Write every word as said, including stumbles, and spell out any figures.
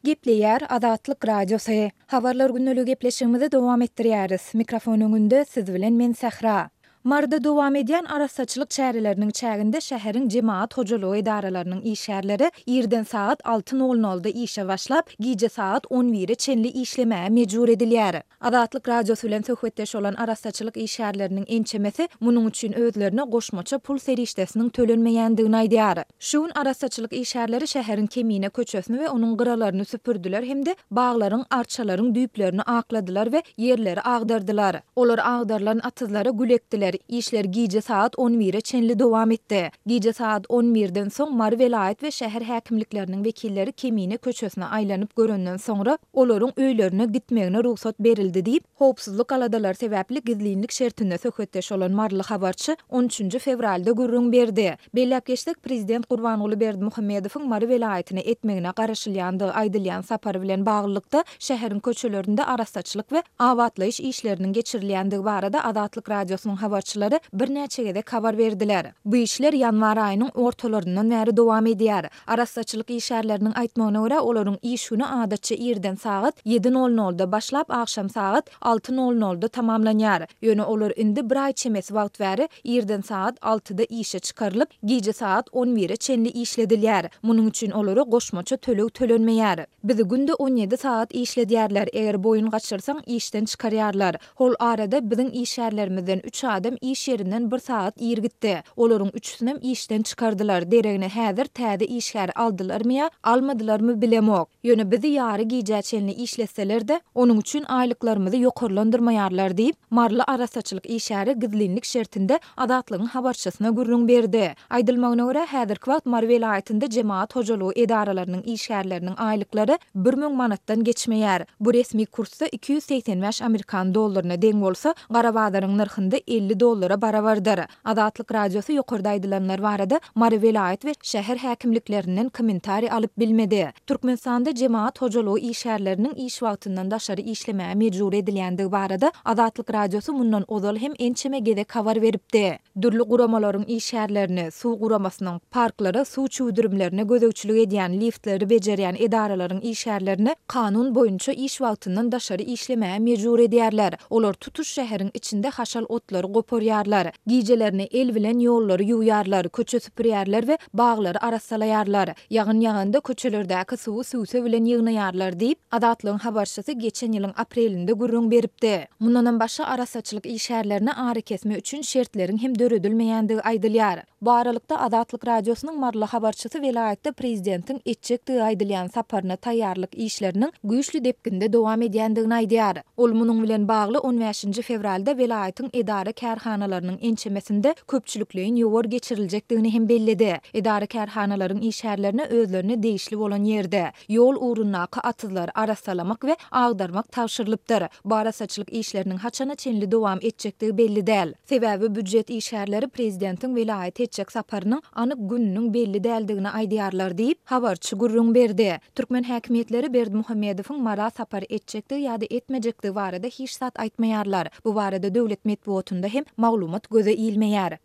Gepleýär Azatlyk Radiosy. Habarlar gündeligi gepleşigimizi dowam etdirýäris. Mikrofon öňünde siz bilen men Sähra. Maryda dowam edýän arassaçylyk çäreleriniň çäginde şäheriň jemagat hojalygy edaralarynyň işgärleri irden sagat alty nol nolda işe başlap, gije sagat on bire çenli işlemäge mejbur edilýär. Azatlyk Radiosy bilen söhbetdeş bolan arassaçylyk işgärleriniň ençemesi munuň üçin özlerine goşmaça pul serişdesiniň tölenmeýändigini aýdýar. Şu gün arassaçylyk işgärleri şäheriň Kemine köçesini we onuň gyralaryny süpürdiler hem-de baglaryň, arçalaryň düýplerini akladylar we ýerleri agdardylar. Olar agdarylan atyzlara gül ekdiler. Işler gije sagat on bire çenli dowam etdi. Gije sagat on birden soň Mary welaýat we şäher häkimlikleriniň wekilleri Kemine köçesine aýlanyp görenden soňra olaryň öýlerine gitmegine rugsat berildi diýip, howpsuzlyk aladalary sebäpli gizlinlik şertinde söhbetdeş bolan maryly habarçy on üçünji fewralda gürrüň berdi. Belläp geçsek, prezident Gurbanguly Berdimuhamedowyň Mary welaýatyna etmegine garaşylýandygy aýdylýan sapary bilen baglylykda şäheriň köçelerinde arassaçylyk we abatlaýyş işleriniň geçirilýändigi barada Azatlyk Radiosynyň habarçylary birnäçe gezek habar berdiler. Bu işler ýanwar aýynyň ortalaryndan bäri dowam edýär. Arassaçylyk işgärleriniň aýtmagyna görä, olaryň iş güni adatça irden sagat ýedi nol nolda başlap, agşam sagat alty nol nolda tamamlanýar. Ýöne olar indi bir aý çemesi wagt bäri irden sagat altyda işe çykarylyp, gije sagat on bire çenli işledilýär. Munuň üçin olara goşmaça töleg tölenmeýär. Bizi günde on ýedi sagat işledýärler. Eger boýun gaçyrsaň, işden çykarýarlar. Hol arada biziň işgärlerimizden üç adam iş ýerinden bir sagat ir gitdi. Olaryň üçüsinem işden çykardylar. Deregine häzir täze işgär aldylarmy ýa almadylarmy bilemok. Ýöne bizi ýary gijä çenli işletseler-de, onuň üçin aýlyklarymyzy ýokarlandyrmaýarlar diýip, Maryly arassaçylyk işgäri gizlinlik şertinde Azatlygyň habarçysyna gürrüň berdi. Aýdylmagyna görä, häzirki wagt Mary welaýatynda jemagat hojalygy edaralarynyň işgärleriniň aýlyklary bir müň manatdan geçmeýär. Bu resmi kursda iki ýüz segsen bäş amerikan dollaryna deň bolsa, gara bazaryň nyrhynda elli dollara barabardyr. Azatlyk Radiosy ýokarda aýdylanlar barada Mary welaýat we şäher häkimliklerinden kommentariý alyp bilmedi. Türkmenistanda jemagat hojalygy işgärleriniň iş wagtyndan daşary işlemäge mejbur edilýändigi barada Azatlyk Radiosy mundan ozal hem ençeme gezek habar beripdi. Dürli guramalaryň işgärlerini, suw guramasynyň, parklara suw çüwdürimlerine gözegçilik edýän, liftleri bejerýän edaralaryň işgärlerini kanun boýunça iş wagtyndan daşary işlemäge mejbur edýärler. Olar tutuş şäheriň içinde haşal otlary goparýarlar, gijelerini el bilen ýollary ýuwýarlar, köçe süpürýärler we baglary arassalaýarlar. Ýagyn ýaganda köçelerdäki suwy süwse bilen ýygnaýarlar diýip, Azatlygyň habarçysy geçen ýylyň aprelinde gürrüň beripdi. Mundanam başga arassaçylyk işgärlerine arakesme üçin şertleriň hem döredilmeýändigi aýdylýar. Bu aralykda Azatlyk Radiosynyň maryly habarçysy welaýatda prezidentiň etjekdigi aýdylýan saparyna taýýarlyk işleriniň güýçli depginde dowam edýändigini aýdýar. Ol munuň bilen bagly on bäşinji fewralda welaýatyň edara kärhanalarynyň ençemesinde köpçülikleýin ýowar geçiriljekdigini hem belledi. Edara kärhanalaryň işgärlerine özlerine degişli bolan ýerde ýol ugrundaky atyzlary arassalamak we agdarmak tabşyrylypdyr. Bu arassaçylyk işleriniň haçana çenli dowam etjekdigi belli däl. Sebäbi býujet işgärleri prezidentiň welaýat etjek saparynyň anyk gününiň belli däldigini aýdýarlar diýip, habarçy gürrüň berdi. Türkmen häkimiýetleri Berdimuhamedowyň Mara sapar etjekdigi ýa-da etmejekdigi barada hiç zat aýtmaýarlar. Bu barada döwlet metbugatynda hem maglumat göze ilmeýär.